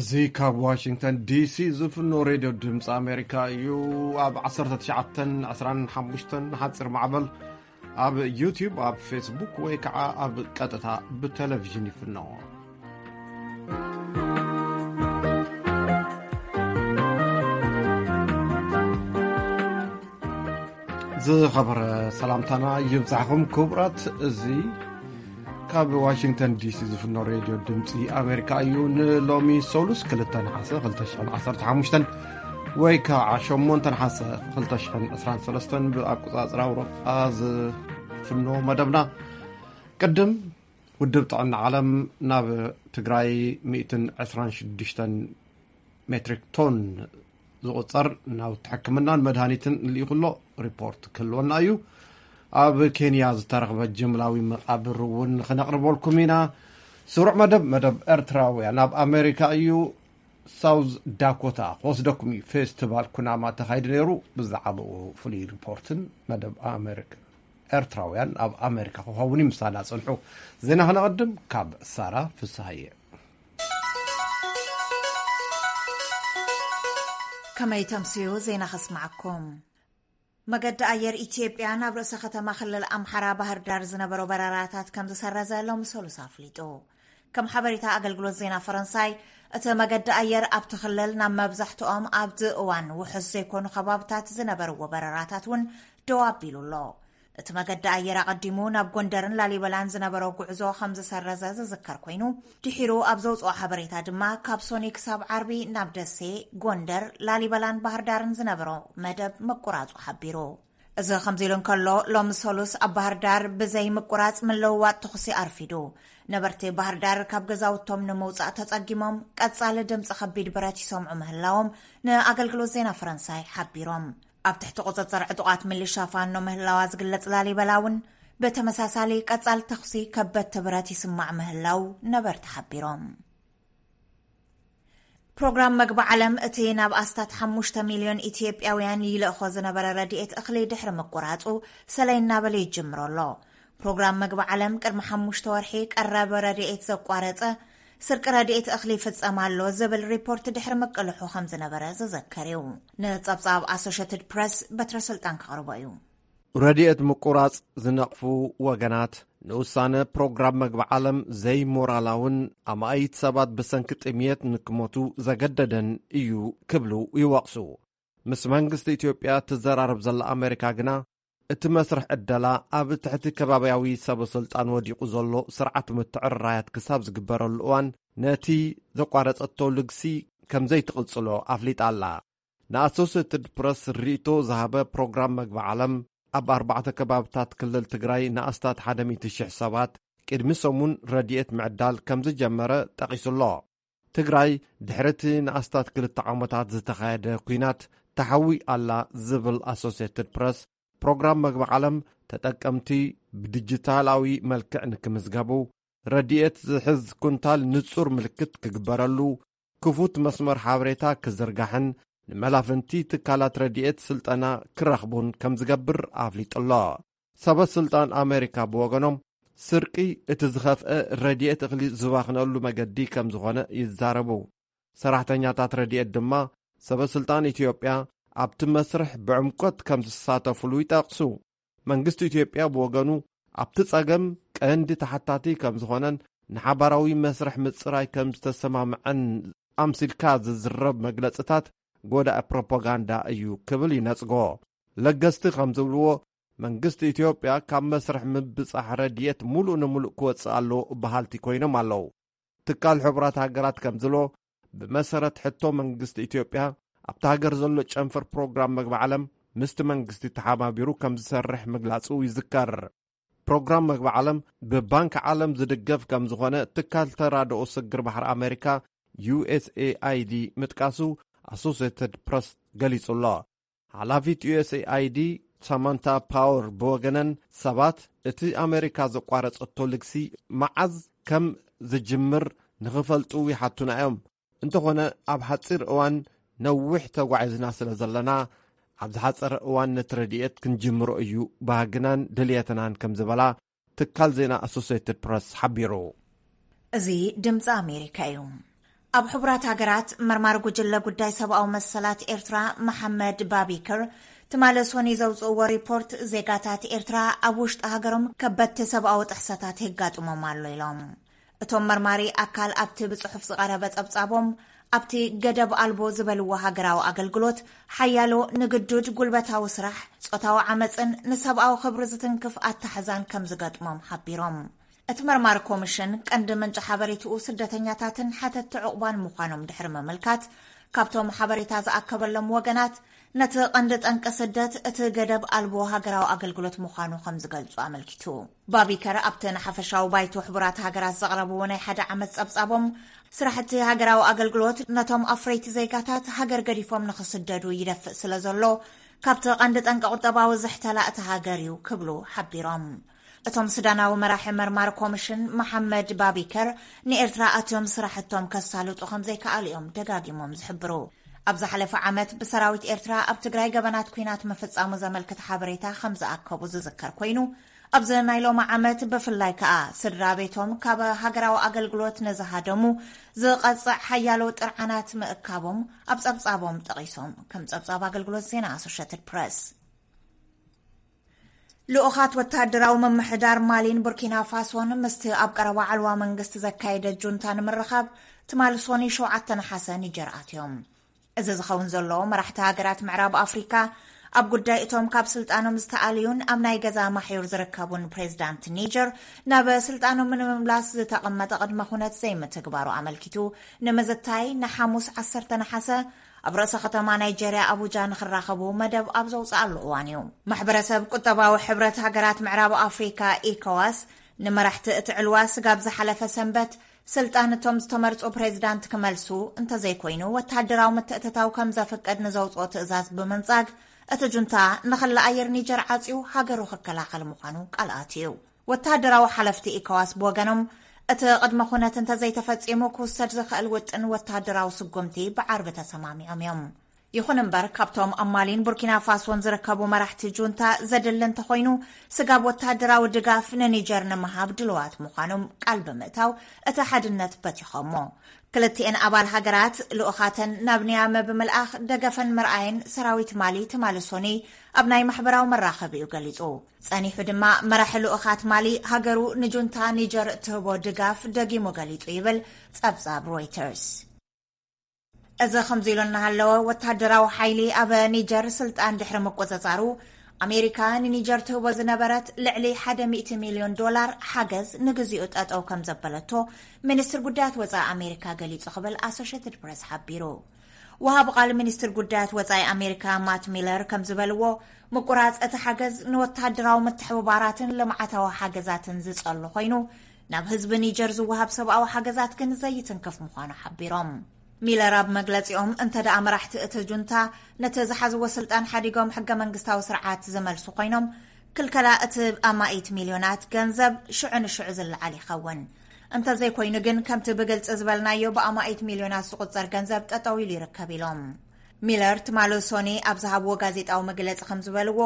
እዚ ካብ ዋሽንግተን ዲሲ ዝፍኖ ሬድዮ ድምፂ ኣሜሪካ እዩ። ኣብ ዓሰርተ ትሽዓተን ዕስራን ሓሙሽተን ሓፂር ማዕበል፣ ኣብ ዩቲዩብ፣ ኣብ ፌስቡክ ወይ ከዓ ኣብ ቀጥታ ብቴሌቪዥን ይፍኖ። ዝኸበረ ሰላምታና ይብዛሕኹም ክቡራት። እዚ ካብ ዋሽንግተን ዲሲ ዝፍኖ ሬድዮ ድምፂ ኣሜሪካ እዩ። ንሎሚ ሰሉስ ክልተ ነሓሰ ክልተ ሽሕን ዓሰርተ ሓሙሽተን ወይ ከዓ ሸሞንተ ነሓሰ ክልተ ሽሕን ዕስራን ሰለስተን ብኣቆፃፅራ ኣውሮጳ ዝፍኖ መደብና። ቅድም ውድብ ጥዕና ዓለም ናብ ትግራይ ሚእትን ዕስራን ሽዱሽተን ሜትሪክ ቶን ዝቑጸር ናውቲ ሕክምናን መድሃኒትን ልኢኹ ኣሎ። ሪፖርት ክህልወና እዩ። ኣብ ኬንያ ዝተረኽበ ጅምላዊ መቓብር እውን ክነቕርበልኩም ኢና። ስሩዕ መደብ፣ መደብ ኤርትራውያን ኣብ ኣሜሪካ እዩ። ሳውዝ ዳኮታ ክወስደኩም እዩ። ፌስቲቫል ኩናማ ተኻይዱ ነይሩ። ብዛዕባኡ ፍሉይ ሪፖርትን መደብ ኣሜሪካ፣ ኤርትራውያን ኣብ ኣሜሪካ ክኸውን እዩ። ምሳና ጽንሑ። ዜና ክነቐድም ካብ ሳራ ፍስሃየ። ከመይ ተምስዩ ዜና ከስማዓኩም። መገዲ ኣየር ኢትዮጵያ ናብ ርእሰ ከተማ ክልል ኣምሓራ ባህር ዳር ዝነበሮ በረራታት ከም ዝሰረዘ ሎሚ ሰሉስ ኣፍሊጡ። ከም ሓበሬታ ኣገልግሎት ዜና ፈረንሳይ፣ እቲ መገዲ ኣየር ኣብቲ ክልል ናብ መብዛሕትኦም ኣብቲ እዋን ውሑስ ዘይኮኑ ከባብታት ዝነበርዎ በረራታት እውን ደው ኣቢሉ ኣሎ። እቲ መገዲ ኣየር ኣቐዲሙ ናብ ጎንደርን ላሊበላን ዝነበሮ ጉዕዞ ከም ዝሰረዘ ዝዝከር ኮይኑ፣ ድሒሩ ኣብ ዘውፅኦ ሓበሬታ ድማ ካብ ሶኒ ክሳብ ዓርቢ ናብ ደሴ፣ ጎንደር፣ ላሊበላን ባህር ዳርን ዝነበሮ መደብ ምቁራፁ ሓቢሩ። እዚ ከምዚ ኢሉ እንከሎ፣ ሎሚ ሰሉስ ኣብ ባህር ዳር ብዘይ ምቁራፅ ምልውዋጥ ተኹሲ ኣርፊዱ። ነበርቲ ባህር ዳር ካብ ገዛውቶም ንምውፃእ ተፀጊሞም ቀፃሊ ድምፂ ከቢድ ብረት ይሰምዑ ምህላዎም ንኣገልግሎት ዜና ፈረንሳይ ሓቢሮም። ኣብ ትሕቲ ቁፅፅር ዕጡቓት ሚሊሻ ፋኖ ምህላዋ ዝግለፅ ላሊበላ እውን ብተመሳሳሊ ቀፃሊ ተኹሲ ከበድቲ ብረት ይስማዕ ምህላው ነበርቲ ሓቢሮም። ፕሮግራም መግቢ ዓለም እቲ ናብ ኣስታት ሓሙሽተ ሚልዮን ኢትዮጵያውያን ይልእኾ ዝነበረ ረድኤት እኽሊ ድሕሪ ምቁራፁ ሰለይ እናበለ ይጅምሮ ኣሎ። ፕሮግራም መግቢ ዓለም ቅድሚ ሓሙሽተ ወርሒ ቀረብ ረድኤት ዘቋረፀ ስርቂ ረድኤት እኽሊ ይፍጸም ኣሎ ዝብል ሪፖርት ድሕሪ ምቅልሑ ከም ዝነበረ ዝዘከር እዩ። ንጸብጻብ ኣሶሽትድ ፕረስ በትረ ስልጣን ከቕርቦ እዩ። ረድኤት ምቁራጽ ዝነቕፉ ወገናት ንውሳነ ፕሮግራም መግቢ ዓለም ዘይሞራላውን ኣማኢት ሰባት ብሰንኪ ጥምየት ንክሞቱ ዘገደደን እዩ ክብሉ ይወቕሱ። ምስ መንግስቲ ኢትዮጵያ ትዘራረብ ዘላ ኣሜሪካ ግና፣ እቲ መስርሕ ዕደላ ኣብ ትሕቲ ከባብያዊ ሰበ ስልጣን ወዲቑ ዘሎ ስርዓት ምትዕርራያት ክሳብ ዝግበረሉ እዋን፣ ነቲ ዘቋረጸቶ ልግሲ ከም ዘይትቕጽሎ ኣፍሊጣ ኣላ። ንኣሶሴትድ ፕረስ ርእይቶ ዝሃበ ፕሮግራም መግቢ ዓለም፣ ኣብ ኣርባዕተ ከባብታት ክልል ትግራይ ንኣስታት ሓደ ሚእቲ ሽሕ ሰባት ቅድሚ ሰሙን ረድኤት ምዕዳል ከም ዝጀመረ ጠቒሱ ኣሎ። ትግራይ ድሕሪ እቲ ንኣስታት ክልተ ዓመታት ዝተኻየደ ኲናት ተሓዊ ኣላ ዝብል ኣሶሴትድ ፕረስ፣ ፕሮግራም መግቢ ዓለም ተጠቀምቲ ብዲጂታላዊ መልክዕ ንክምዝገቡ፣ ረድኤት ዝሕዝ ኩንታል ንጹር ምልክት ክግበረሉ፣ ክፉት መስመር ሓበሬታ ክዝርጋሕን ንመላፍንቲ ትካላት ረድኤት ስልጠና ክረኽቡን ከም ዝገብር ኣፍሊጡ ኣሎ። ሰበ ስልጣን ኣሜሪካ ብወገኖም፣ ስርቂ እቲ ዝኸፍአ ረድኤት እኽሊ ዝባኽነሉ መገዲ ከም ዝኾነ ይዛረቡ። ሰራሕተኛታት ረድኤት ድማ፣ ሰበ ስልጣን ኢትዮጵያ ኣብቲ መስርሕ ብዕምቆት ከም ዝሳተፉሉ ይጠቕሱ። መንግስቲ ኢትዮጵያ ብወገኑ፣ ኣብቲ ጸገም ቀንዲ ተሓታቲ ከም ዝኾነን ንሓባራዊ መስርሕ ምጽራይ ከም ዝተሰማምዐን ኣምሲልካ ዝዝረብ መግለጽታት ጎዳኢ ፕሮፓጋንዳ እዩ ክብል ይነጽጎ። ለገስቲ ከም ዝብልዎ፣ መንግስቲ ኢትዮጵያ ካብ መስርሕ ምብጻሕ ረድኤት ምሉእ ንምሉእ ክወጽእ ኣለዎ በሃልቲ ኮይኖም ኣለዉ። ትካል ሕቡራት ሃገራት ከም ዝብሎ፣ ብመሰረት ሕቶ መንግስቲ ኢትዮጵያ፣ ኣብታ ሃገር ዘሎ ጨንፈር ፕሮግራም መግቢ ዓለም ምስቲ መንግስቲ ተሓባቢሩ ከም ዝሰርሕ ምግላጹ ይዝከር። ፕሮግራም መግቢ ዓለም ብባንክ ዓለም ዝድገፍ ከም ዝኾነ ትካል ተራድኦ ስግር ባሕሪ ኣሜሪካ፣ ዩኤስኤኣይዲ፣ ምጥቃሱ ኣሶሴትድ ፕረስ ገሊጹ ኣሎ። ሓላፊት ዩኤስኤኣይዲ ሳማንታ ፓወር ብወገነን፣ ሰባት እቲ ኣሜሪካ ዘቋረጸቶ ልግሲ መዓዝ ከም ዝጅምር ንኽፈልጡ ይሓቱና እዮም። እንተኾነ፣ ኣብ ሓጺር እዋን ነዊሕ ተጓዒዝና ስለ ዘለና፣ ኣብ ዝሓጸረ እዋን ነቲ ረድኤት ክንጅምሮ እዩ ባህግናን ድልየትናን ከም ዝበላ ትካል ዜና ኣሶሴትድ ፕረስ ሓቢሩ። እዚ ድምፂ ኣሜሪካ እዩ። ኣብ ሕቡራት ሃገራት መርማሪ ጉጅለ ጉዳይ ሰብኣዊ መሰላት ኤርትራ መሓመድ ባቢከር ትማሊ ሰኑይ ዘውፅእዎ ሪፖርት፣ ዜጋታት ኤርትራ ኣብ ውሽጢ ሃገሮም ከበድቲ ሰብኣዊ ጥሕሰታት የጋጥሞም ኣሎ ኢሎም። እቶም መርማሪ ኣካል ኣብቲ ብጽሑፍ ዝቐረበ ጸብጻቦም፣ ኣብቲ ገደብ ኣልቦ ዝበልዎ ሃገራዊ ኣገልግሎት ሓያሎ ንግዱድ ጉልበታዊ ስራሕ፣ ጾታዊ ዓመጽን ንሰብኣዊ ክብሪ ዝትንክፍ ኣታሕዛን ከም ዝገጥሞም ሓቢሮም። እቲ መርማሪ ኮሚሽን ቀንዲ ምንጪ ሓበሬትኡ ስደተኛታትን ሓተትቲ ዕቑባን ምዃኖም ድሕሪ ምምልካት፣ ካብቶም ሓበሬታ ዝኣከበሎም ወገናት ነቲ ቀንዲ ጠንቂ ስደት እቲ ገደብ ኣልቦ ሃገራዊ ኣገልግሎት ምዃኑ ከም ዝገልጹ ኣመልኪቱ። ባቢከር ኣብቲ ንሓፈሻዊ ባይቶ ሕቡራት ሃገራት ዘቕረብዎ ናይ ሓደ ዓመት ጸብጻቦም፣ ስራሕቲ ሃገራዊ ኣገልግሎት ነቶም ኣፍረይቲ ዜጋታት ሃገር ገዲፎም ንኽስደዱ ይደፍእ ስለ ዘሎ፣ ካብቲ ቀንዲ ጠንቂ ቁጠባዊ ዝሕተላ እቲ ሃገር እዩ ክብሉ ሓቢሮም። እቶም ሱዳናዊ መራሒ መርማሪ ኮሚሽን መሓመድ ባቢከር ንኤርትራ ኣትዮም ስራሕቶም ከሳልጡ ከም ዘይከኣሉ እዮም ደጋጊሞም ዝሕብሩ። ኣብ ዝሓለፈ ዓመት ብሰራዊት ኤርትራ ኣብ ትግራይ ገበናት ኲናት ምፍጻሙ ዘመልክት ሓበሬታ ከም ዝኣከቡ ዝዝከር ኮይኑ፣ ኣብዚ ናይ ሎሚ ዓመት ብፍላይ ከኣ ስድራ ቤቶም ካብ ሃገራዊ ኣገልግሎት ንዝሃደሙ ዝቐጽዕ ሓያሎ ጥርዓናት ምእካቦም ኣብ ጸብጻቦም ጠቒሶም። ከም ጸብጻብ ኣገልግሎት ዜና ኣሶሽትድ ፕረስ። ልኡኻት ወተሃደራዊ ምምሕዳር ማሊን ቡርኪና ፋሶን ምስቲ ኣብ ቀረባ ዕልዋ መንግስቲ ዘካየደ ጁንታ ንምርኻብ ትማሊ ሰኑይ ሸውዓተ ነሓሰ ኒጀር ኣትዮም። እዚ ዝኸውን ዘሎ፣ መራሕቲ ሃገራት ምዕራብ ኣፍሪካ ኣብ ጉዳይ እቶም ካብ ስልጣኖም ዝተኣልዩን ኣብ ናይ ገዛ ማሕዩር ዝርከቡን ፕሬዚዳንት ኒጀር ናብ ስልጣኖም ንምምላስ ዝተቐመጠ ቅድመ ኩነት ዘይምትግባሩ ኣመልኪቱ ንምዝታይ ንሓሙስ ዓሰርተ ነሓሰ ኣብ ርእሰ ከተማ ናይጀርያ ኣቡጃ ንኽራኸቡ መደብ ኣብ ዘውፅኣሉ እዋን እዩ። ማሕበረሰብ ቁጠባዊ ሕብረት ሃገራት ምዕራብ ኣፍሪካ፣ ኢኮዋስ፣ ንመራሕቲ እቲ ዕልዋ ስጋብ ዝሓለፈ ሰንበት ስልጣን እቶም ዝተመርጹ ፕሬዚዳንት ክመልሱ፣ እንተዘይኮይኑ ወተሃደራዊ ምትእትታው ከም ዘፍቅድ ንዘውፅኦ ትእዛዝ ብምንጻግ፣ እቲ ጁንታ ንኽሊ ኣየር ኒጀር ዓጽዩ ሃገሩ ክከላኸል ምዃኑ ቃል ኣትዩ። ወተሃደራዊ ሓለፍቲ ኢኮዋስ ብወገኖም፣ እቲ ቅድመ ኩነት እንተዘይተፈጺሙ ክውሰድ ዝኽእል ውጥን ወተሃደራዊ ስጉምቲ ብዓርቢ ተሰማሚዖም እዮም። ይኹን እምበር፣ ካብቶም ኣብ ማሊን ቡርኪና ፋሶን ዝርከቡ መራሕቲ ጁንታ ዘድሊ እንተኾይኑ፣ ስጋብ ወተሃደራዊ ድጋፍ ንኒጀር ንምሃብ ድልዋት ምዃኖም ቃል ብምእታው፣ እቲ ሓድነት በቲኾሞ። ክልቲኤን ኣባል ሃገራት ልኡኻተን ናብ ኒያመ ብምልኣኽ ደገፈን ምርኣየን ሰራዊት ማሊ ትማሊ ሰኑይ ኣብ ናይ ማሕበራዊ መራኸቢኡ ገሊጹ። ጸኒሑ ድማ መራሒ ልኡኻት ማሊ ሃገሩ ንጁንታ ኒጀር እትህቦ ድጋፍ ደጊሙ ገሊጹ ይብል ጸብጻብ ሮይተርስ። እዚ ከምዚ ኢሉ እናሃለወ፣ ወታደራዊ ሓይሊ ኣብ ኒጀር ስልጣን ድሕሪ ምቁጽጻሩ፣ ኣሜሪካ ንኒጀር ትህቦ ዝነበረት ልዕሊ ሓደ ሚእቲ ሚልዮን ዶላር ሓገዝ ንግዚኡ ጠጠው ከም ዘበለቶ ሚኒስትር ጉዳያት ወጻኢ ኣሜሪካ ገሊጹ ክብል ኣሶሽየትድ ፕረስ ሓቢሩ። ወሃቢ ቃል ሚኒስትር ጉዳያት ወጻኢ ኣሜሪካ ማት ሚለር ከም ዝበልዎ፣ ምቁራጽ እቲ ሓገዝ ንወታደራዊ ምትሕብባራትን ልምዓታዊ ሓገዛትን ዝጸሉ ኮይኑ፣ ናብ ህዝቢ ኒጀር ዝወሃብ ሰብኣዊ ሓገዛት ግን ዘይትንክፍ ምዃኑ ሓቢሮም። ሚለር ኣብ መግለጺኦም፣ እንተ ደኣ መራሕቲ እቲ ጁንታ ነቲ ዝሓዝዎ ስልጣን ሓዲጎም ሕገ መንግስታዊ ስርዓት ዝመልሱ ኮይኖም፣ ክልከላ እቲ ኣማኢት ሚልዮናት ገንዘብ ሽዑ ንሽዑ ዝለዓል ይኸውን። እንተዘይኮይኑ ግን፣ ከምቲ ብግልጺ ዝበልናዮ፣ ብኣማኢት ሚልዮናት ዝቑጸር ገንዘብ ጠጠው ኢሉ ይርከብ ኢሎም። ሚለር ትማሊ ሶኒ ኣብ ዝሃብዎ ጋዜጣዊ መግለጺ ከም ዝበልዎ፣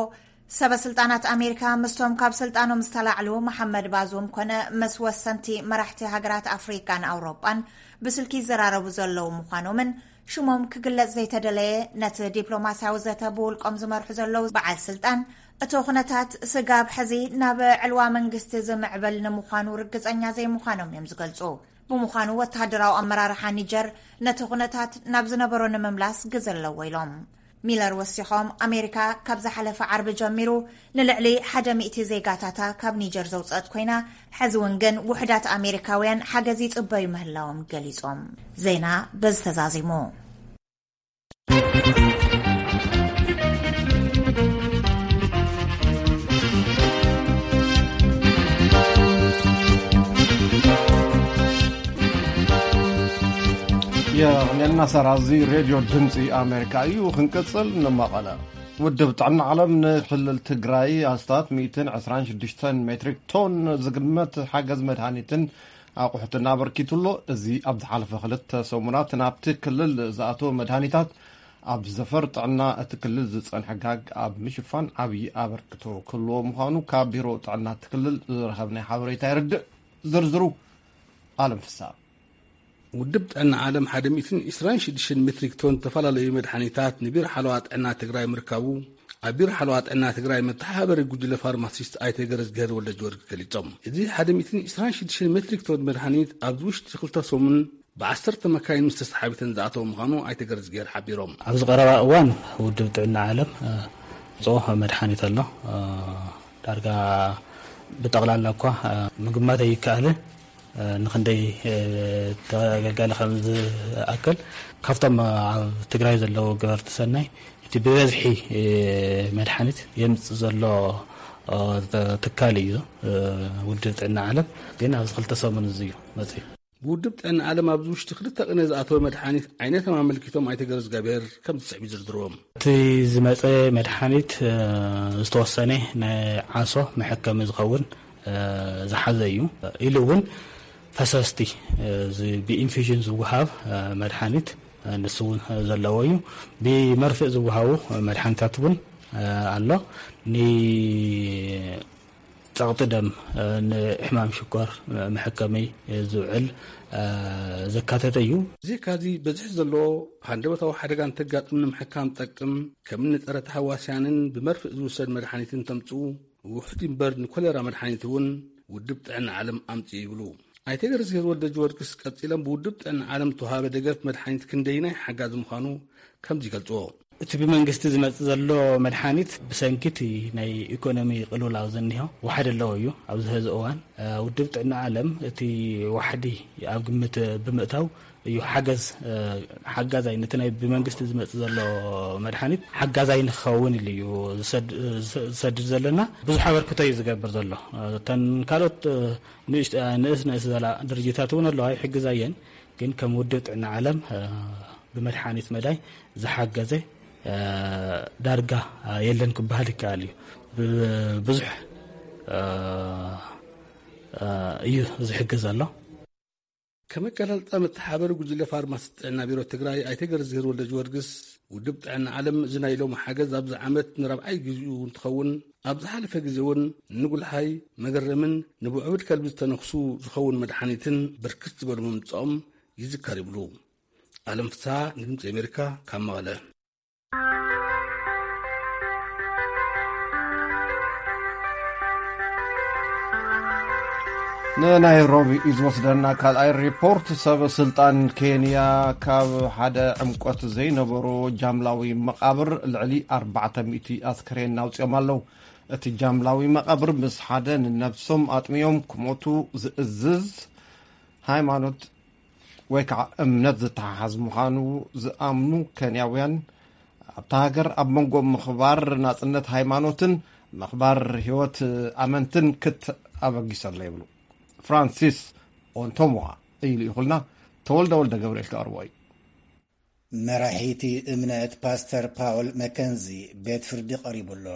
ሰበ ስልጣናት ኣሜሪካ ምስቶም ካብ ስልጣኖም ዝተላዕሉ መሓመድ ባዙም ኮነ ምስ ወሰንቲ መራሕቲ ሃገራት ኣፍሪካን ኣውሮጳን ብስልኪ ይዘራረቡ ዘለዉ ምዃኖምን ሽሞም ክግለጽ ዘይተደለየ፣ ነቲ ዲፕሎማስያዊ ዘተ ብውልቆም ዝመርሑ ዘለዉ በዓል ስልጣን፣ እቲ ኩነታት ስጋብ ሕዚ ናብ ዕልዋ መንግስቲ ዝምዕብል ንምዃኑ ርግጸኛ ዘይምዃኖም እዮም ዝገልጹ። ብምዃኑ፣ ወተሃደራዊ ኣመራርሓ ኒጀር ነቲ ኩነታት ናብ ዝነበሮ ንምምላስ ግዘ ኣለዎ ኢሎም። ሚለር ወሲኾም፣ ኣሜሪካ ካብ ዝሓለፈ ዓርቢ ጀሚሩ ንልዕሊ ሓደ ሚእቲ ዜጋታታ ካብ ኒጀር ዘውፅአት ኮይና፣ ሕዚ እውን ግን ውሑዳት ኣሜሪካውያን ሓገዝ ይጽበዩ ምህላዎም ገሊጾም። ዜና በዚ ተዛዚሙ። የቕንየልና ሰራ፣ እዚ ሬድዮ ድምፂ ኣሜሪካ እዩ። ክንቅፅል ንመቐለ። ውድብ ጥዕና ዓለም ንክልል ትግራይ ኣስታት ሚእትን ዕስራን ሽዱሽተን ሜትሪክ ቶን ዝግመት ሓገዝ መድሃኒትን ኣቑሑትን ኣበርኪቱ ኣሎ። እዚ ኣብ ዝሓለፈ ክልተ ሰሙናት ናብቲ ክልል ዝኣተወ መድሃኒታት ኣብ ዘፈር ጥዕና እቲ ክልል ዝጸንሐ ጋግ ኣብ ምሽፋን ዓብዪ ኣበርክቶ ክህልዎ ምዃኑ ካብ ቢሮ ጥዕና እቲ ክልል ዝረኸብናዮ ሓበሬታ የረድእ። ዝርዝሩ ኣለም ፍስሃ። ውድብ ጥዕና ዓለም ሓደ ሚእትን ዕስራን ሽዱሽተን ሜትሪክ ቶን ዝተፈላለዩ መድሓኒታት ንቢሮ ሓለዋ ጥዕና ትግራይ ምርካቡ ኣብ ቢሮ ሓለዋ ጥዕና ትግራይ መተሓባበሪ ጉጅለ ፋርማሲስት ኣይተ ገረዝግሄር ወልደጊዮርጊስ ገሊጾም። እዚ ሓደ ሚእትን ዕስራን ሽዱሽተን ሜትሪክ ቶን መድሓኒት ኣብዚ ውሽጢ ክልተ ሰሙን ብዓሰርተ መካይን ምስ ተሰሓቢተን ዝኣተወ ምዃኑ ኣይተ ገረዝግሄር ሓቢሮም። ኣብዚ ቀረባ እዋን ውድብ ጥዕና ዓለም፣ እ፣ ዝወጾ መድሓኒት ኣሎ። እ፣ ዳርጋ ብጠቕላላ እኳ፣ እ፣ ምግማት ኣይከኣልን። እ፣ ንኽንደይ፣ እ፣ ተገልጋሊ ከም ዝኣክል ካብቶም ኣብ ትግራይ ዘለዉ ገበርቲ ሰናይ እቲ ብበዝሒ፣ እ፣ መድሓኒት የምጽእ ዘሎ፣ እ፣ ትካል እዩ። እ፣ ውድብ ጥዕና ዓለም ግን ኣብዚ ክልተ ሰሙን እዚ እዩ መጽዩ። ብውድብ ጥዕና ዓለም ኣብዚ ውሽጢ ክልተ ቅነ ዝኣተወ መድሓኒት ዓይነቶም ኣመልኪቶም ኣይተ ገረዝግሄር ከም ዝስዕብ ይዝርዝርዎም። እቲ ዝመጸ መድሓኒት፣ እ፣ ዝተወሰነ ናይ ዓሶ መሐከሚ ዝኸውን፣ እ፣ ዝሓዘ እዩ። ኢሉ እውን ፈሰስቲ፣ እ፣ እዚ ብኢንፊዥን ዝወሃብ፣ እ፣ መድሓኒት፣ እ፣ ንሱ እውን ዘለዎ እዩ። ብመርፍእ ዝወሃቡ መድሓኒታት እውን፣ እ፣ ኣሎ። ን ጸቕጢ ደም፣ እ፣ ንሕማም ሽኮር፣ እ፣ መሐከሚ ዝውዕል፣ እ፣ ዘካተተ እዩ። ብዘይካዚ በዝሒ ዘለዎ ሃንደበታዊ ሓደጋ እንተጋጥም ንምሕካም ጠቅም ከም ንጸረ ተሃዋስያንን ብመርፍእ ዝውሰድ መድሓኒትን ተምጽኡ ውሑድ እምበር ንኮሌራ መድሓኒት እውን ውድብ ጥዕና ዓለም ኣምጽኡ ይብሉ። ኣይተ ገረዝግሄር ወልደጊዮርጊስ ቀጺሎም ብውድብ ጥዕና ዓለም ተዋሃበ ደገፍ መድሓኒት ክንደይናይ ሓጋዚ ምዃኑ ከምዚ ይገልጽዎ። እቲ ብመንግስቲ ዝመጽእ ዘሎ መድሓኒት ብሰንኪ እቲ ናይ ኢኮኖሚ ቅልውላው ዘኒሆ ዋሕዲ ኣለዎ እዩ። ኣብዚ ሕዚ እዋን፣ እ፣ ውድብ ጥዕና ዓለም እቲ ዋሕዲ ኣብ ግምት ብምእታው እዩ ሓገዝ፣ እ፣ ሓጋዛይ ነቲ ናይ ብመንግስቲ ዝመጽእ ዘሎ መድሓኒት ሓጋዛይ ንክኸውን ኢሉ እዩ ዝሰድ-፣ ዝሰድድ ዘለና። ብዙሕ ኣበርክቶ እዩ ዝገብር ዘሎ። እ፣ እተን ካልኦት፣ እ፣ ንእሽት-፣ እ፣ ንእስ ንእስ ዘላ ድርጅታት እውን ኣለዋ፣ ይሕግዛ እየን። ግን ከም ውድብ ጥዕና ዓለም፣ እ፣ ብመድሓኒት መዳይ ዝሓገዘ፣ እ፣ ዳርጋ፣ እ፣ የለን ክበሃል ይከኣል እዩ። ብብዙሕ፣ እ፣ እ፣ እዩ ዝሕግዝ ዘሎ። ከም ኣገላልጻ መተሓባበሪ ጉጅለ ፋርማሲስት ጥዕና ቢሮ ትግራይ ኣይተ ገረዝግሄር ወልደጊዮርጊስ፣ ውድብ ጥዕና ዓለም እዚ ናይ ሎሚ ሓገዝ ኣብዚ ዓመት ንራብዓይ ግዜኡ እንትኸውን፣ ኣብ ዝሓለፈ ግዜ እውን ንጉልሓይ፣ መገረምን ንብዕቡድ ከልቢ ዝተነኽሱ ዝኸውን መድሓኒትን ብርክት ዝበሉ ምምጽኦም ይዝከር ይብሉ። ኣለም ፍስሓ ንድምፂ ኣሜሪካ ካብ መቐለ። ንናይሮቢ እዩ ዝወስደና ካልኣይ ሪፖርት። ሰብ ስልጣን ኬንያ ካብ ሓደ ዕምቆት ዘይነበሮ ጃምላዊ መቓብር ልዕሊ ኣርባዕተ ሚእቲ ኣስከሬን ኣውፅኦም ኣለዉ። እቲ ጃምላዊ መቓብር ምስ ሓደ ንነብሶም ኣጥምዮም ክሞቱ ዝእዝዝ ሃይማኖት ወይ ከዓ እምነት ዝተሓሓዝ ምዃኑ ዝኣምኑ ኬንያውያን፣ ኣብታ ሃገር ኣብ መንጎ ምኽባር ናጽነት ሃይማኖትን ምኽባር ህይወት ኣመንትን ክት ኣበጊሰ ኣሎ ይብሉ። ፍራንሲስ ኦንቶሞዋ እዩ ልኢኹልና። ተወልደ ወልደ ገብርኤል ከቕርቦ እዩ። መራሒቲ እምነት ፓስተር ፓውል መከንዚ ቤት ፍርዲ ቀሪቡ ኣሎ።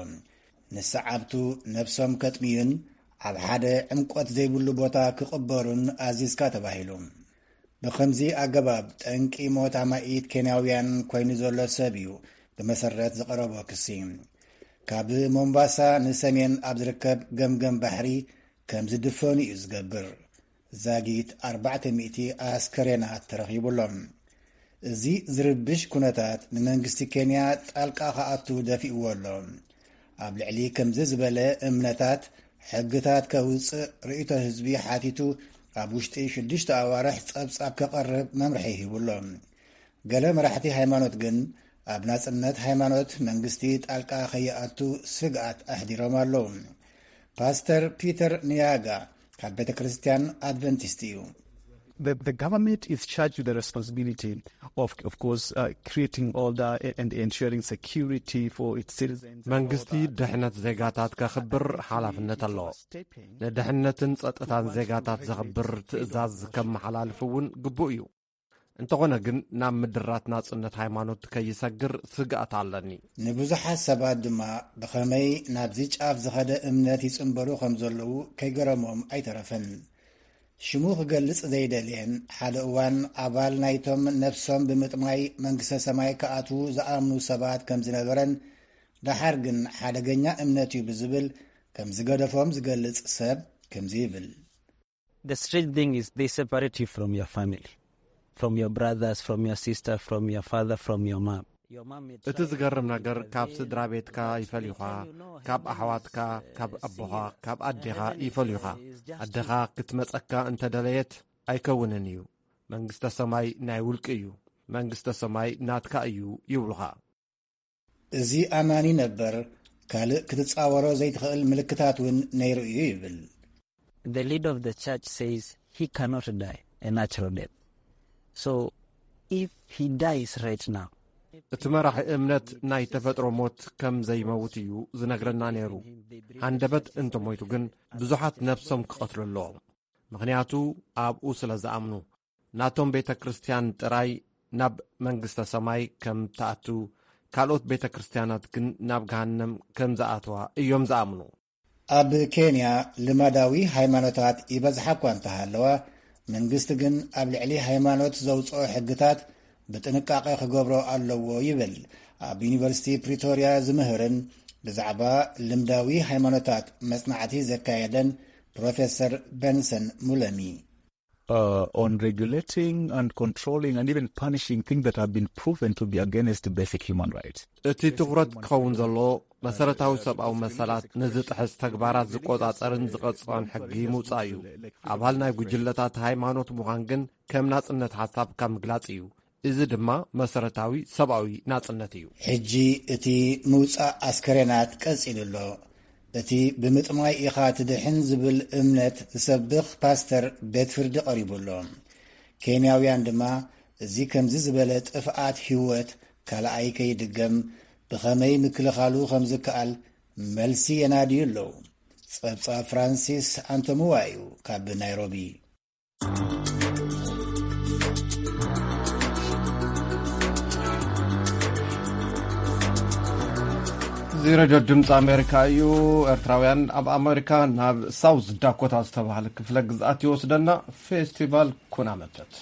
ንሰዓብቱ ነብሶም ከጥምዩን ኣብ ሓደ ዕምቆት ዘይብሉ ቦታ ክቕበሩን ኣዚዝካ ተባሂሉ። ብኸምዚ ኣገባብ ጠንቂ ሞት ኣማኢት ኬንያውያን ኮይኑ ዘሎ ሰብ እዩ ብመሰረት ዝቐረቦ ክሲ። ካብ ሞምባሳ ንሰሜን ኣብ ዝርከብ ገምገም ባሕሪ ከም ዝድፈኑ እዩ ዝገብር። ዛጊት ኣርባዕተ ሚእቲ ኣስከሬናት ተረኺቡ ኣሎ። እዚ ዝርብሽ ኩነታት ንመንግስቲ ኬንያ ጣልቃ ክኣቱ ደፊእዎ ኣሎ። ኣብ ልዕሊ ከምዚ ዝበለ እምነታት ሕግታት ከውፅእ ርእይቶ ህዝቢ ሓቲቱ ኣብ ውሽጢ ሽዱሽተ ኣዋርሕ ጸብጻብ ከቐርብ መምርሒ ሂቡ ኣሎ። ገለ መራሕቲ ሃይማኖት ግን ኣብ ናጽነት ሃይማኖት መንግስቲ ጣልቃ ከይኣቱ ስግኣት ኣሕዲሮም ኣለዉ። ፓስተር ፒተር ንያጋ ካብ ቤተ ክርስቲያን ኣድቨንቲስት እዩ። The, the government is charged with the responsibility of, of course, uh, creating order and ensuring security for its citizens. መንግስቲ ድሕነት ዜጋታት ከኽብር ሓላፍነት ኣለዎ። ንድሕነትን ጸጥታን ዜጋታት ዘኽብር ትእዛዝ ከመሓላልፍ እውን ግቡእ እዩ። እንተኾነ ግን ናብ ምድራት ናጽነት ሃይማኖት ከይሰግር ስግኣት ኣለኒ። ንብዙሓት ሰባት ድማ ብኸመይ ናብዚ ጫፍ ዝኸደ እምነት ይጽንበሩ ከም ዘለዉ ከይገረሞም ኣይተረፈን። ሽሙ ክገልጽ ዘይደልየን ሓደ እዋን ኣባል ናይቶም ነፍሶም ብምጥማይ መንግስተ ሰማይ ክኣትዉ ዝኣምኑ ሰባት ከም ዝነበረን ደሓር ግን ሓደገኛ እምነት እዩ ብዝብል ከም ዝገደፎም ዝገልጽ ሰብ ከምዚ ይብል። The strange thing is they separate you from your family. from your brothers, from your sister, from your father, from your mom. እቲ ዝገርም ነገር ካብ ስድራ ቤትካ ይፈልዩኻ፣ ካብ ኣሕዋትካ፣ ካብ ኣቦኻ፣ ካብ ኣዴኻ ይፈልዩኻ። ኣዴኻ ክትመጸካ እንተደለየት ኣይከውንን እዩ። መንግስተ ሰማይ ናይ ውልቂ እዩ። መንግስተ ሰማይ ናትካ እዩ ይብሉኻ። እዚ ኣማኒ ነበር ካልእ ክትጻወሮ ዘይትኽእል ምልክታት እውን ነይሩ እዩ ይብል። The leader of the church says he cannot die a natural death. So if he dies right now, እቲ መራሒ እምነት ናይ ተፈጥሮ ሞት ከም ዘይመውት እዩ ዝነግረና ነይሩ። ሃንደበት እንተሞይቱ ግን ብዙሓት ነብሶም ክቐትሉ ኣለዎም። ምኽንያቱ ኣብኡ ስለ ዝኣምኑ። ናቶም ቤተ ክርስቲያን ጥራይ ናብ መንግስተ ሰማይ ከም ትኣቱ፣ ካልኦት ቤተ ክርስቲያናት ግን ናብ ገሃነም ከም ዝኣትዋ እዮም ዝኣምኑ። ኣብ ኬንያ ልማዳዊ ሃይማኖታት ይበዝሓ እኳ እንተሃለዋ፣ መንግስቲ ግን ኣብ ልዕሊ ሃይማኖት ዘውፅኦ ሕግታት ብጥንቃቄ ክገብሮ ኣለዎ ይብል ኣብ ዩኒቨርሲቲ ፕሪቶርያ ዝምህርን ብዛዕባ ልምዳዊ ሃይማኖታት መጽናዕቲ ዘካየደን ፕሮፌሰር በንሰን ሙለሚ። Uh, on regulating and controlling and even punishing things that have been proven to be against basic human rights. እቲ ትኹረት ክኸውን ዘለዎ መሰረታዊ ሰብኣዊ መሰላት ንዝጥሕስ ተግባራት ዝቆጻጸርን ዝቐጽዖን ሕጊ ምውጻእ እዩ። ኣባል ናይ ጉጅለታት ሃይማኖት ምዃን ግን ከም ናጽነት ሓሳብካ ምግላጽ እዩ። እዚ ድማ መሰረታዊ ሰብኣዊ ናጽነት እዩ። ሕጂ እቲ ምውጻእ ኣስከሬናት ቀጺሉ ኣሎ። እቲ ብምጥማይ ኢኻ ትድሕን ዝብል እምነት ዝሰብኽ ፓስተር ቤት ፍርዲ ቀሪቡ ኣሎ። ኬንያውያን ድማ እዚ ከምዚ ዝበለ ጥፍኣት ህይወት ካልኣይ ከይድገም ብኸመይ ምክልኻሉ ከም ዝከኣል መልሲ የናድዩ ኣለዉ። ጸብጻብ ፍራንሲስ ኣንቶምዋ እዩ ካብ ናይሮቢ። እዚ ረድዮ ድምፂ ኣሜሪካ እዩ። ኤርትራውያን ኣብ ኣሜሪካ ናብ ሳውዝ ዳኮታ ዝተባህለ ክፍለ ግዝኣት ይወስደና። ፌስቲቫል ኩናመተት።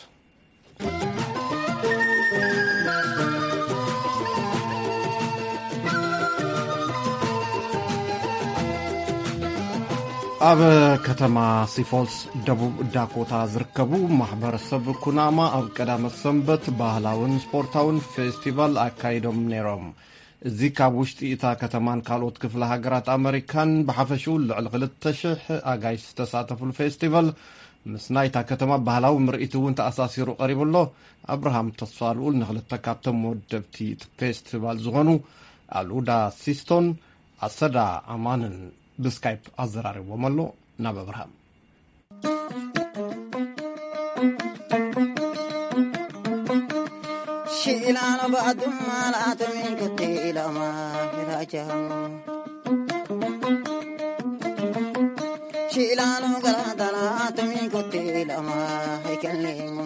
ኣብ ከተማ ሲፎልስ ደቡብ ዳኮታ ዝርከቡ ማሕበረሰብ ኩናማ ኣብ ቀዳመ ሰንበት ባህላውን ስፖርታውን ፌስቲቫል ኣካይዶም ነይሮም። እዚ ካብ ውሽጢ እታ ከተማን ካልኦት ክፍለ ሃገራት ኣመሪካን ብሓፈሽኡ ልዕሊ ክልተ ሽሕ ኣጋይሽ ዝተሳተፉሉ ፌስቲቫል ምስ ናይታ ከተማ ባህላዊ ምርኢት እውን ተኣሳሲሩ ቀሪቡ ኣሎ። ኣብርሃም ተስፋልኡል ንክልተ ካብቶም መወደብቲ እቲ ፌስቲቫል ዝኾኑ ኣሉዳ ሲስቶን ኣሰዳ ኣማንን ብስካይፕ ኣዘራሪቦም ኣሎ። ናብ ኣብርሃም። ሽኢላኖ ባዱማ ላቶም ይንክቲ ኢላማ ራጃሙ ሽኢላኖ ገላዳና ላቶም ይንክቲ ኢላማ ኣይከሌሙ።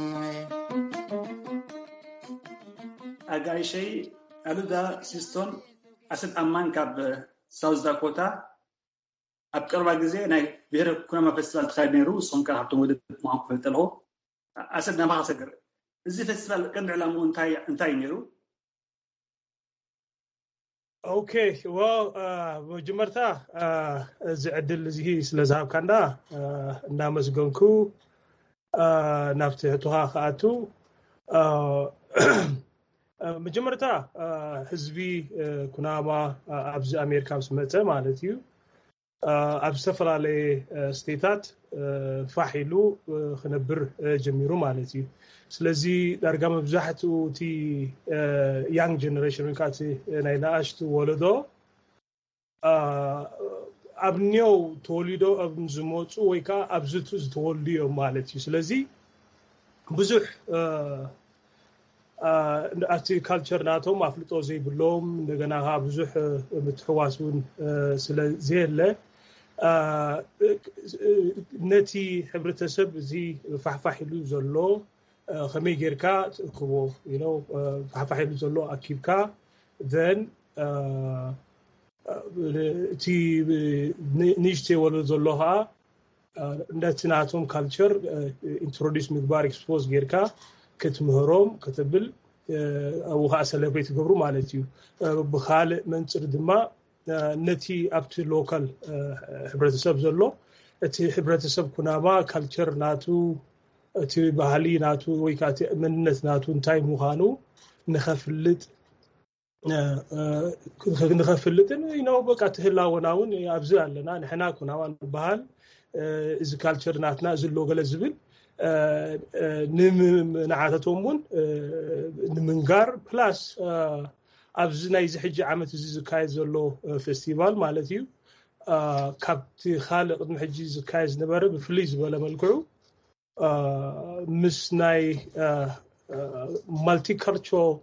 ኣጋይሸይ ኣሉዳ ሲስቶን ኣሰድ ኣማን ካብ ሳውዝ ዳኮታ። ኣብ ቀረባ ግዜ ናይ ብሄረ ኩናማ ፌስቲቫል ተኻይዱ ነይሩ። ንስኹም ከኣ ካብቶም ወደብ ምዃንኩም ፈልጥ ኣለኹ። ኣሰድ ናባኻ ሰግር። እዚ ፌስቲቫል ቀንዲ ዕላምኡ እንታይ እንታይ እዩ ነይሩ? ኦኬ፣ well መጀመርታ እዚ ዕድል እዚ ስለ ዝሃብካና እንዳመስገንኩ ናብቲ ሕቶኻ ክኣቱ። መጀመርታ ህዝቢ ኩናማ ኣብዚ ኣሜሪካ ምስ መፀ ማለት እዩ ኣብ ዝተፈላለየ ስቴታት ፋሕ ኢሉ ክነብር ጀሚሩ ማለት እዩ። ስለዚ ዳርጋ መብዛሕትኡ እቲ young generation ወይ ከዓ ናይ ንኣሽቱ ወለዶ ኣብ ኒው ተወሊዶ ኣብ ዝመፁ ወይ ከዓ ኣብዚ ዝተወልዱ እዮም ማለት እዩ። ስለዚ ብዙሕ ኣብቲ ካልቸር ናቶም ኣፍልጦ ዘይብሎም፣ እንደገና ከዓ ብዙሕ ምትሕዋስ እውን ስለ ዘየለ ነቲ ሕብረተሰብ እዚ ፋሕፋሕ ኢሉ ዘሎ ከመይ ጌርካ ትእክቦ ኢሎ ፋሕፋሕ ኢሉ ዘሎ ኣኪብካ ዘን እቲ ንእሽተይ ወለዶ ዘሎ ከዓ ነቲ ናቶም ካልቸር ኢንትሮዲስ ምግባር ኤክስፖዝ ጌርካ ክትምህሮም ከተብል ኣብኡ ከዓ ሰለብሬት ይገብሩ ማለት እዩ። ብካልእ መንፅር ድማ ነቲ ኣብቲ ሎካል ሕብረተሰብ ዘሎ እቲ ሕብረተሰብ ኩናማ ካልቸር ናቱ እቲ ባህሊ ናቱ ወይ ከዓ እቲ መንነት ናቱ እንታይ ምዃኑ ንኸፍልጥ ንኸፍልጥን ነው በቃ ትህላወና እውን ኣብዚ ኣለና ንሕና ኩናማ ንበሃል። እዚ ካልቸር ናትና እዚ ኣሎ ገለ ዝብል ንዓታቶም እውን ንምንጋር ፕላስ ኣብዚ ናይዚ ሕጂ ዓመት እዚ ዝካየድ ዘሎ ፌስቲቫል ማለት እዩ። ካብቲ ካልእ ቅድሚ ሕጂ ዝካየድ ዝነበረ ብፍልይ ዝበለ መልክዑ ምስ ናይ ማልቲካልቸራል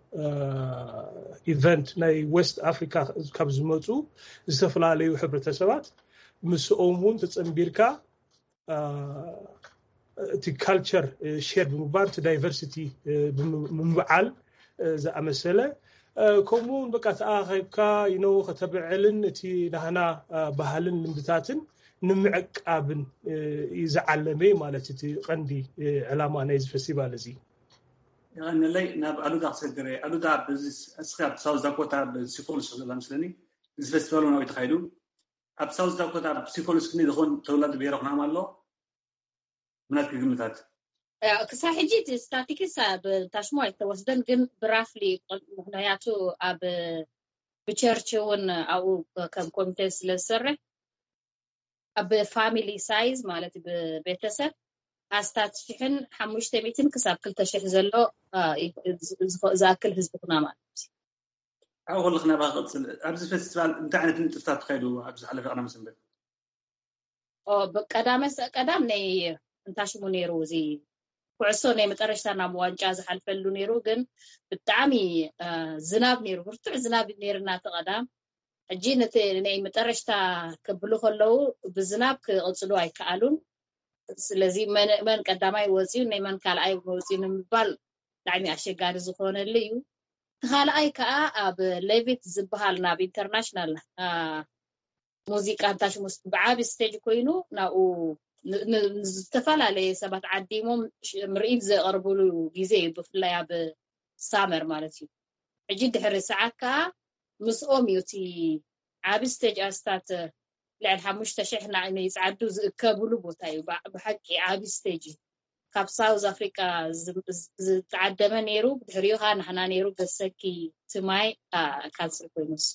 ኢቨንት ናይ ዌስት ኣፍሪካ ካብ ዝመፁ ዝተፈላለዩ ሕብረተሰባት ምስኦም እውን ተፀንቢርካ እቲ ካልቸር ሼር ብምግባር እቲ ዳይቨርሲቲ ብምብዓል ዝኣመሰለ ከምኡ እውን በቃ ተኣኻኺብካ ይነው ከተብዕልን እቲ ናህና ባህልን ልምድታትን ንምዕቃብን ዝዓለመ ማለት እቲ ቀንዲ ዕላማ ናይዚ ፌስቲቫል እዚ። ይቐንለይ ናብ ኣሉዳ ክሰግር እየ። ኣሉዳ እስካ ኣብ ሳውዝ ዳኮታ ብሲኮልስ ዘላ ምስለኒ እዚ ፌስቲቫል እውን ተካይዱ ኣብ ሳውዝ ዳኮታ ብሲኮልስ ክኒ ዝኮን ተወላዲ ብሄረ ኩናማ ኣሎ ምናት ግምታት ክሳብ ሕጂ እቲ ስታቲክስ ብታሽሞ ኣይተወስደን ግን ብራፍሊ ምክንያቱ ኣብ ብቸርች እውን ኣብኡ ከም ኮሚቴ ስለ ዝሰርሕ ኣብ ፋሚሊ ሳይዝ ማለት ብቤተሰብ ኣስታት ሽሕን ሓሙሽተ ሚእትን ክሳብ ክልተ ሽሕ ዘሎ ዝኣክል ህዝቢ ኩና ማለት ኣብ ከለክ ናባ ክቅፅል ኣብዚ ፌስቲቫል እንታይ ዓይነት ንጥፍታት ተካይዱ ኣብዚ ዝሓለፈ ቀዳመ ሰንበት ብቀዳመ ቀዳም ናይ እንታይ ሽሙ ነይሩ እዚ ኩዕሶ ናይ መጠረሽታ ናብ ዋንጫ ዝሓልፈሉ ነይሩ ግን ብጣዕሚ ዝናብ ነይሩ ብርቱዕ ዝናብ ነይርና እቲ ቀዳም ሕጂ ነቲ ናይ መጠረሽታ ክብሉ ከለዉ ብዝናብ ክቕፅሉ ኣይከኣሉን ስለዚ መን ቀዳማይ ወፅዩ ናይ መን ካልኣይ ወፅዩ ንምባል ብጣዕሚ ኣሸጋሪ ዝኾነሉ እዩ እቲ ካልኣይ ከዓ ኣብ ሌቪት ዝበሃል ናብ ኢንተርናሽናል ሙዚቃ እንታሽሙስ ብዓቢ ስቴጅ ኮይኑ ናብኡ ዝተፈላለየ ሰባት ዓዲሞም ምርኢት ዘቕርብሉ ግዜ እዩ ብፍላይ ኣብ ሳመር ማለት እዩ ሕጂ ድሕሪ ሰዓት ከዓ ምስኦም እዩ እቲ ዓቢ ስቴጅ ኣስታት ልዕል ሓሙሽተ ሽሕ ንዓይነ ይፅዓዱ ዝእከብሉ ቦታ እዩ ብሓቂ ዓቢ ስቴጅ እዩ ካብ ሳውዝ ኣፍሪቃ ዝተዓደመ ነይሩ ብድሕሪኡ ከዓ ናሕና ነይሩ ገሰኪ ትማይ ካንስል ኮይኑ ንሱ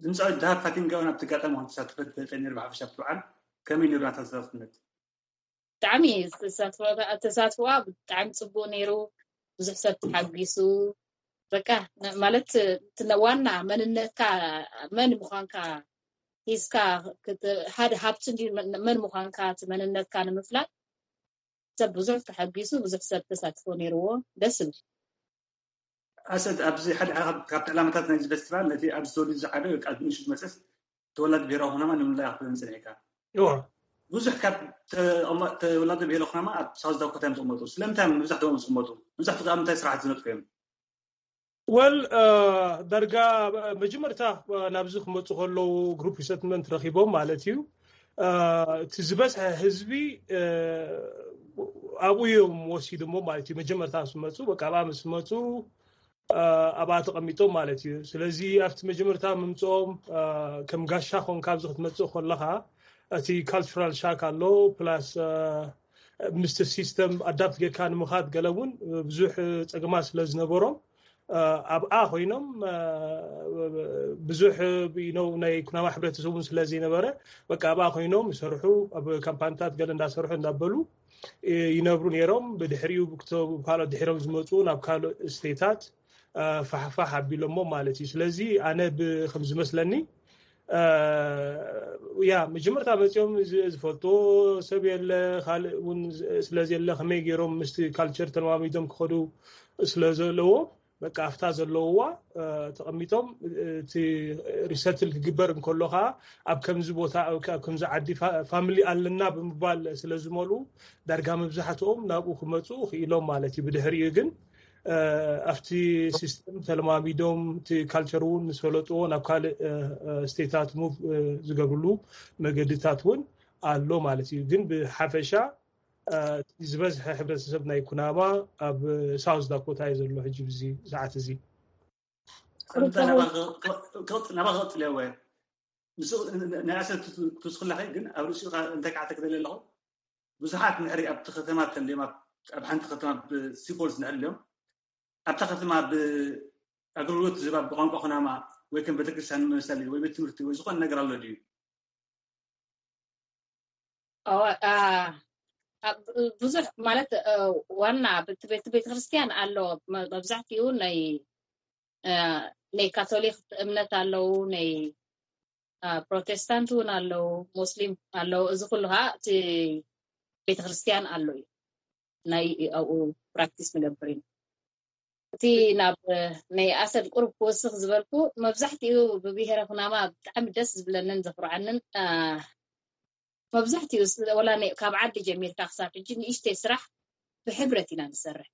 ድምፃዊ ድሃብ ፋቲንጋ እውን ኣብቲ ኣጋጣሚ ከም ተሳተፈት ፈልጠ ነይሩ ብሓፈሻ ኣብቲ በዓል ከመይ ነይሩ ናታ ተሳትፍነት ብጣዕሚ ተሳትፎዋ ብጣዕሚ ፅቡቅ ነይሩ ብዙሕ ሰብ ተሓጒሱ በቃ ማለት ዋና መንነትካ መን ምኳንካ ሒዝካ ሓደ ሃብቲ መን ምኳንካ እቲ መንነትካ ንምፍላጥ ሰብ ብዙሕ ተሓጒሱ ብዙሕ ሰብ ተሳትፎ ነይርዎ ደስ ዝብል ኣሰድ ኣብዚ ሓደ ካብቲ ዕላማታት ናይዚ ፌስቲቫል ነቲ ኣብዚ ተወሊዱ ዝዓበ ወይ ከዓ ንእሽቱ መፅስ ተወላዲ ብሄራዊ ኩናማ ንምንላይ ክትብለን ፅኒሕካ እዋ ብዙሕ ካብ ተወላዲ ብሄረ ኩናማ ኣብ ሳውዝ ዳኮታ እዮም ዝቕመጡ ስለምንታይ እዮም መብዛሕትኦም ዝቕመጡ መብዛሕትኡ ከዓ ምንታይ ስራሕቲ ዝነጥፉ እዮም ወል ዳርጋ መጀመርታ ናብዚ ክመፁ ከለዉ ግሩፕ ሪሰትልመንት ረኪቦም ማለት እዩ እቲ ዝበዝሐ ህዝቢ ኣብኡ እዮም ወሲዶሞ ማለት እዩ መጀመርታ ምስ መፁ በቃ ኣብኣ ምስ መፁ ኣብኣ ተቐሚጦም ማለት እዩ ስለዚ ኣብቲ መጀመርታ ምምፅኦም ከም ጋሻ ኮንካ ኣብዚ ክትመፅእ ከለካ እቲ ካልቸራል ሻክ ኣሎ ፕላስ ምስቲ ሲስተም ኣዳፕት ጌርካ ንምኻድ ገለ እውን ብዙሕ ፀገማት ስለ ዝነበሮም ኣብኣ ኮይኖም ብዙሕ ነው ናይ ኩናማ ሕብረተሰብ እውን ስለ ዘይነበረ በቃ ኣብኣ ኮይኖም ይሰርሑ ኣብ ካምፓኒታት ገለ እንዳሰርሑ እንዳበሉ ይነብሩ ነይሮም ብድሕሪኡ ካልኦት ድሒሮም ዝመፁ ናብ ካልእ ስቴታት ፋሕፋሕ ኣቢሎሞ ማለት እዩ ስለዚ ኣነ ከም ዝመስለኒ ያ መጀመርታ መፂኦም ዝፈልጥዎ ሰብ የለ ካልእ እውን ስለዘየለ ከመይ ገይሮም ምስቲ ካልቸር ተለማሚዶም ክኸዱ ስለዘለዎ በቃ ኣብታ ዘለውዋ ተቐሚጦም እቲ ሪሰትል ክግበር እንከሎ ከዓ ኣብ ከምዚ ቦታ ኣብ ከምዚ ዓዲ ፋሚሊ ኣለና ብምባል ስለ ዝመልኡ ዳርጋ መብዛሕትኦም ናብኡ ክመፁ ክኢሎም ማለት እዩ ብድሕሪኡ ግን ኣብቲ ሲስተም ተለማሚዶም እቲ ካልቸር እውን ምስ ፈለጥዎ ናብ ካልእ ስቴታት ሙቭ ዝገብርሉ መገድታት እውን ኣሎ ማለት እዩ ግን ብሓፈሻ ዝበዝሐ ሕብረተሰብ ናይ ኩናማ ኣብ ሳውዝ ዳኮታ እዩ ዘሎ ሕጂ ብዚ ሰዓት እዚ ናባ ክቕፅል እየ ወይ ምስ ናይ ኣሰብ ትስክላ ግን ኣብ ርእሲኡ እንታይ ከዓ ተክደለ ኣለኹ ብዙሓት ንሕሪ ኣብቲ ከተማ ተልዮም ኣብ ሓንቲ ከተማ ብሲፎልስ ንሕሪ እዮም ኣብታ ከተማ ብኣገልግሎት ዝባ ብቋንቋ ኩናማ ወይ ከም ቤተክርስትያን መሰሊ ወይ ቤት ትምህርቲ ወይ ዝኾነ ነገር ኣሎ ድዩ? ብዙሕ ማለት ዋና ቤተክርስትያን ኣሎ። መብዛሕትኡ ናይ ናይ ካቶሊክ እምነት ኣለዉ፣ ናይ ፕሮቴስታንት እውን ኣለዉ፣ ሙስሊም ኣለዉ። እዚ ኩሉ ከዓ እቲ ቤተክርስትያን ኣሎ እዩ ናይ ኣብኡ ፕራክቲስ ንገብር ኢና። እቲ ናብ ናይ ኣሰል ቁሩብ ክወስኽ ዝበልኩ መብዛሕትኡ ብብሄረ ኩናማ ብጣዕሚ ደስ ዝብለንን ዘፍርዓንን መብዛሕትኡ ወላ ካብ ዓዲ ጀሚርካ ክሳብ ሕጂ ንእሽተይ ስራሕ ብሕብረት ኢና ንሰርሕ።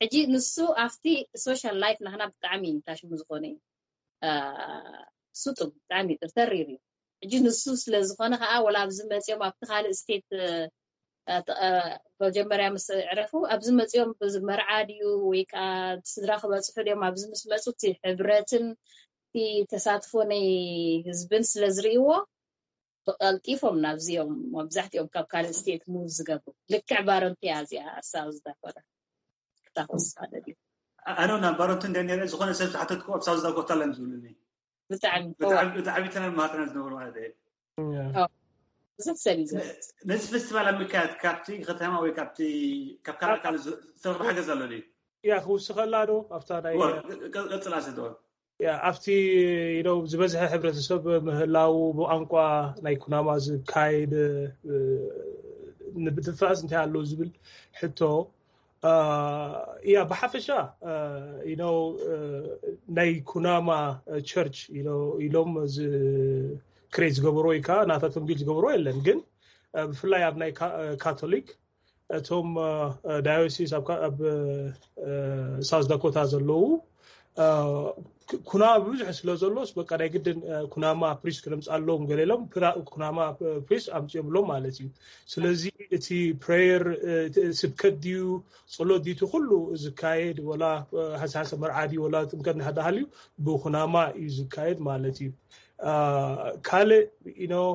ሕጂ ንሱ ኣብቲ ሶሻል ላይፍ ናህና ብጣዕሚ ታሽሙ ዝኾነ እዩ። ስጡም ብጣዕሚ ተሪር እዩ። ሕጂ ንሱ ስለ ዝኾነ ከዓ ወላ ኣብዚ መፅኦም ኣብቲ ካልእ ስቴት መጀመርያ ምስ ዕረፉ ኣብዚ መፅኦም መርዓ ድዩ ወይ ከዓ ስድራ ክበፅሑ ድዮም ኣብዚ ምስ መፁ እቲ ሕብረትን እቲ ተሳትፎ ናይ ህዝብን ስለ ዝርእይዎ ብቀልጢፎም ናብዚኦም መብዛሕትኦም ካብ ካልእ ስቴት ሙቭ ዝገብሩ ልክዕ ባረንቲያ እዚኣ ሳውዝ ዳኮታ ክታወስ ሓደ ድዩ ኣነ ናብ ባረንቱ እንደ ነረ ዝኾነ ሰብ ዝሓተትኩ ኣብ ሳውዝ ዳኮታ ለን ዝብሉኒ ብጣዕሚ ብቲ ዓቢተና ማጥና ዝነበሩ ማለት እየ ብዙሕ ሰብ እዩ ዘሎ ነዚ ፌስቲቫል ኣብ ምክያድ ካብቲ ከተማ ወይ ካብቲ ካብ ካልእ ካልእ ዝተረኽበ ሓገዝ ኣሎ ድዩ ያ ክውስኸላ ዶ ኣብታ ናይ ቀፅላ ስደወል ያ ኣብቲ you know ዝበዝሐ ሕብረተሰብ ምህላው ብቋንቋ ናይ ኩናማ ዝካየድ እ፣ ንብድፋእስ እንታይ ኣለዎ ዝብል ሕቶ እ፣ ያ ብሓፈሻ you know እ፣ ናይ ኩናማ ቸርች ኢሎም ዝ ክሬት ዝገበሮ ወይ ከዓ ናታቶም ቢል ዝገበሮ የለን ግን እ፣ ብፍላይ ኣብ ናይ ካ- እ፣ ካቶሊክ እቶም ዳዮሲስ ኣብ ሳውዝ ዳኮታ ዘለዉ ኩናማ ብብዝሒ ስለ ዘሎስ በቃ ናይ ግድን ኩናማ ፕሪስ ክነምፅኣሎም ገለ ኢሎም ኩናማ ፕሪስ ኣምፅኦምሎም ማለት እዩ። ስለዚ እቲ ፕሬየር ስብከት ድዩ ጸሎት ድዩ እቲ ኩሉ ዝካየድ ወላ ሓሳሰ መርዓ ድዩ ወላ ጥምቀት እናተሃልዩ ብኩናማ እዩ ዝካየድ ማለት እዩ። ካልእ you know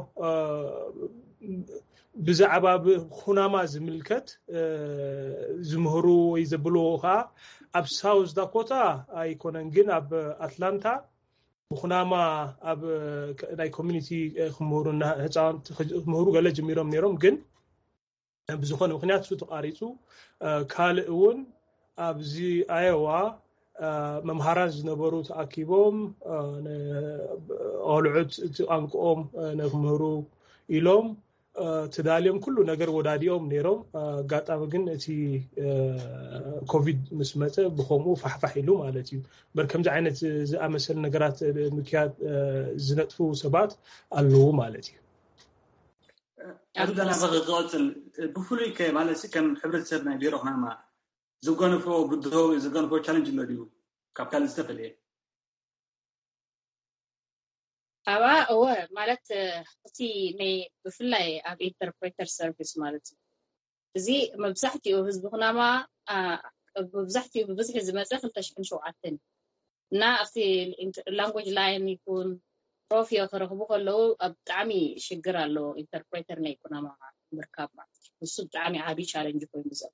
ብዛዕባ ብኩናማ ዝምልከት ዝምህሩ ወይ ዘብልዎ ከዓ ኣብ ሳውዝ ዳኮታ ኣይኮነን ግን ኣብ ኣትላንታ ብኩናማ ኣብ ናይ ኮሚኒቲ ክምህሩ ህፃውንቲ ክምህሩ ገለ ጀሚሮም ነይሮም ግን ብዝኾነ ምክንያት እሱ ተቋሪፁ ካልእ እውን ኣብዚ ኣየዋ መምሃራን ዝነበሩ ተኣኪቦም ቆልዑት እቲ ቋንቋኦም ንክምህሩ ኢሎም ተዳልዮም ኩሉ ነገር ወዳዲኦም ነይሮም ኣጋጣሚ ግን እቲ ኮቪድ ምስ መፀ ብከምኡ ፋሕፋሕ ኢሉ ማለት እዩ በር ከምዚ ዓይነት ዝኣመሰል ነገራት ምክያድ ዝነጥፉ ሰባት ኣለዉ ማለት እዩ ኣዱ ዳና ክቐፅል ብፍሉይ ከ ማለት ከም ሕብረተሰብ ናይ ቢሮ ክናማ ዝገንፎ ብድሆ ዝገንፎ ቻለንጅ ኣሎ ድዩ ካብ ካልእ ዝተፈለየ ኣባ እወ ማለት እቲ ናይ ብፍላይ ኣብ ኢንተርፕሬተር ሰርቪስ ማለት እዩ እዚ መብዛሕትኡ ህዝቢ ክናማ መብዛሕትኡ ብብዝሒ ዝመፀ ክልተ ሽሕን ሸውዓተን እና ኣብቲ ላንጉጅ ላይን ይኩን ሮፊዮ ክረኽቡ ከለዉ ብጣዕሚ ሽግር ኣሎ ኢንተርፕሬተር ናይ ኩናማ ምርካብ ማለት እዩ ንሱ ብጣዕሚ ዓብዪ ቻለንጅ ኮይኑ ዘሎ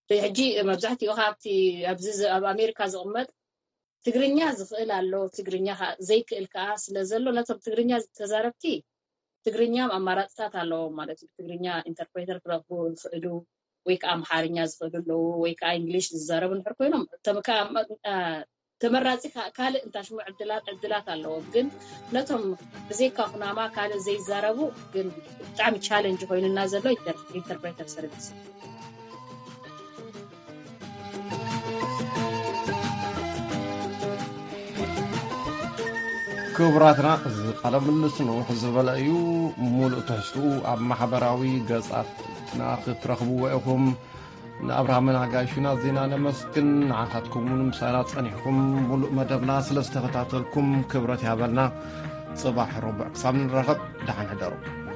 ሕጂ መብዛሕትኡ ካብቲ ኣብዚ ኣብ ኣሜሪካ ዝቕመጥ ትግርኛ ዝኽእል ኣሎ ትግርኛ ዘይክእል ከዓ ስለ ዘሎ ነቶም ትግርኛ ተዛረብቲ ትግርኛ ኣማራፅታት ኣለዎም ማለት እዩ ትግርኛ ኢንተርፕሬተር ክረኽቡ ይኽእሉ ወይ ከዓ ኣምሓርኛ ዝኽእሉ ኣለዉ ወይ ከዓ እንግሊሽ ዝዛረቡ ንሕር ኮይኖም ተመራፂ ካልእ እንታሽሙ ዕድላት ዕድላት ኣለዎም ግን ነቶም ብዘይካ ኩናማ ካልእ ዘይዛረቡ ግን ብጣዕሚ ቻለንጅ ኮይኑና ዘሎ ኢንተርፕሬተር ሰርቪስ ክቡራትና እዚ ቃለ ምልልስ ንውሕ ዝበለ እዩ። ሙሉእ ትሕዝትኡ ኣብ ማሕበራዊ ገጻትና ክትረኽብዎ ኢኹም። ንኣብርሃምን ኣጋይሹና ዜና ነመስግን። ንዓኻትኩም እውን ምሳና ጸኒሕኩም ሙሉእ መደብና ስለ ዝተኸታተልኩም ክብረት ይሃበልና። ጽባሕ ረቡዕ ክሳብ ንራኸብ ደሓን ሕደሩ።